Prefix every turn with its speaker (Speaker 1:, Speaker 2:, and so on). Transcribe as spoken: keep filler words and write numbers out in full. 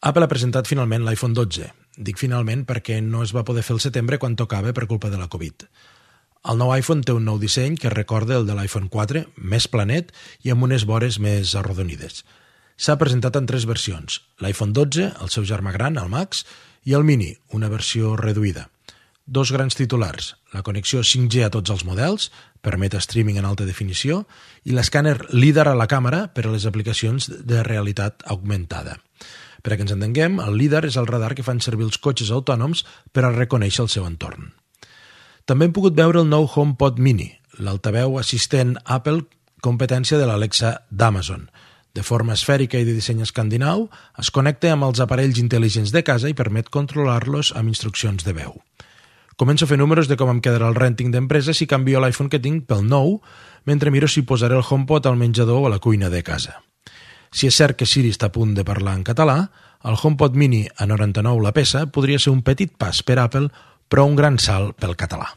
Speaker 1: Apple ha presentat finalment l'iPhone dotze. Dic finalment perquè no es va poder fer el setembre quan tocava per culpa de la Covid. El nou iPhone té un nou disseny que recorda el de l'iPhone quatre, més planet i amb unes vores més arrodonides. S'ha presentat en tres versions, l'iPhone dotze, el seu germà gran, el Max, i el Mini, una versió reduïda. Dos grans titulars, la connexió cinc G a tots els models, permet streaming en alta definició, i l'escàner LiDAR a la càmera per a les aplicacions de realitat augmentada. Per a que ens entenguem, el LiDAR és el radar que fan servir els cotxes autònoms per a reconèixer el seu entorn. També hem pogut veure el nou HomePod Mini, l'altaveu assistent Apple competència de l'Alexa d'Amazon. De forma esfèrica i de disseny escandinau, es connecta amb els aparells intel·ligents de casa i permet controlar-los amb instruccions de veu. Començo a fer números de com em quedarà el rènting d'empresa si canvio l'iPhone que tinc pel nou, mentre miro si posaré el HomePod al menjador o a la cuina de casa. Si és cert que Siri està a punt de parlar en català, el HomePod Mini a noranta-nou la peça podria ser un petit pas per Apple, però un gran salt pel català.